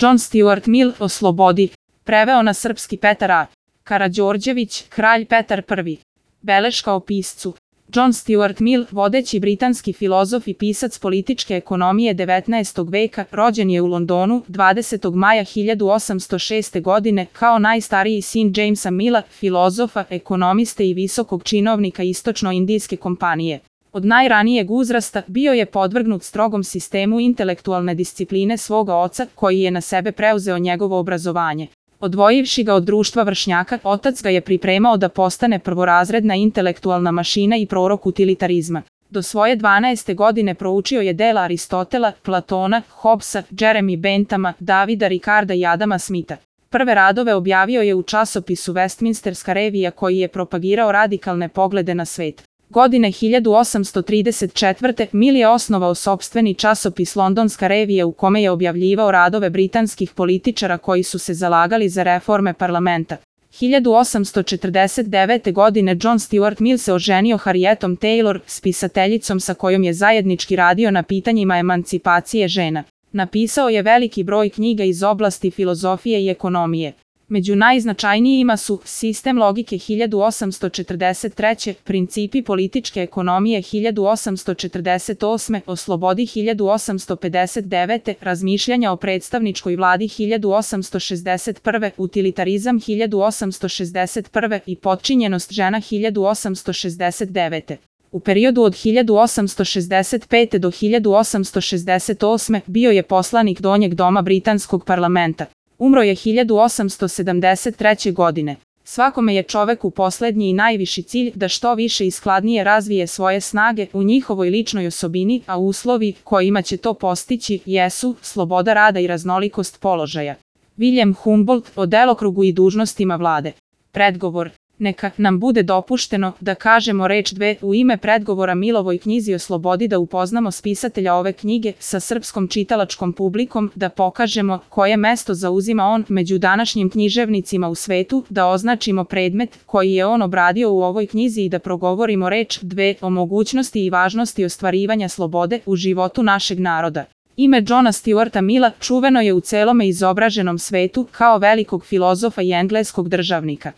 John Stuart Mill, O slobodi. Preveo na srpski Petar A. Karađorđević, Kralj Petar I. Beleška o piscu. John Stuart Mill, vodeći britanski filozof i pisac političke ekonomije 19. veka, rođen je u Londonu 20. maja 1806. godine kao najstariji sin Jamesa Milla, filozofa, ekonomiste i visokog činovnika Istočno-indijske kompanije. Od najranijeg uzrasta bio je podvrgnut strogom sistemu intelektualne discipline svoga oca, koji je na sebe preuzeo njegovo obrazovanje. Odvojivši ga od društva vršnjaka, otac ga je pripremao da postane prvorazredna intelektualna mašina i prorok utilitarizma. Do svoje 12. godine proučio je dela Aristotela, Platona, Hobbesa, Jeremy Benthama, Davida Ricarda i Adama Smitha. Prve radove objavio je u časopisu Westminsterska revija koji je propagirao radikalne poglede na svet. Godine 1834. Mill je osnovao sopstveni časopis Londonska revija u kome je objavljivao radove britanskih političara koji su se zalagali za reforme parlamenta. 1849. godine John Stuart Mill se oženio Harrietom Taylor, spisateljicom sa kojom je zajednički radio na pitanjima emancipacije žena. Napisao je veliki broj knjiga iz oblasti filozofije i ekonomije. Među najznačajnijima su Sistem logike 1843, Principi političke ekonomije 1848, O slobodi 1859, Razmišljanja o predstavničkoj vladi 1861, Utilitarizam 1861 i Potčinjenost žena 1869. U periodu od 1865. do 1868. bio je poslanik Donjeg doma britanskog parlamenta. Umro je 1873. godine. Svakome je čoveku poslednji i najviši cilj da što više i skladnije razvije svoje snage u njihovoj ličnoj osobini, a uslovi kojima će to postići jesu sloboda rada i raznolikost položaja. William Humboldt, o delokrugu i dužnostima vlade. Predgovor. Neka nam bude dopušteno da kažemo reč dve u ime predgovora Millovoj knjizi o slobodi, da upoznamo spisatelja ove knjige sa srpskom čitalačkom publikom, da pokažemo koje mesto zauzima on među današnjim književnicima u svetu, da označimo predmet koji je on obradio u ovoj knjizi i da progovorimo reč dve o mogućnosti i važnosti ostvarivanja slobode u životu našeg naroda. Ime Johna Stuarta Milla čuveno je u celome izobraženom svetu kao velikog filozofa i engleskog državnika.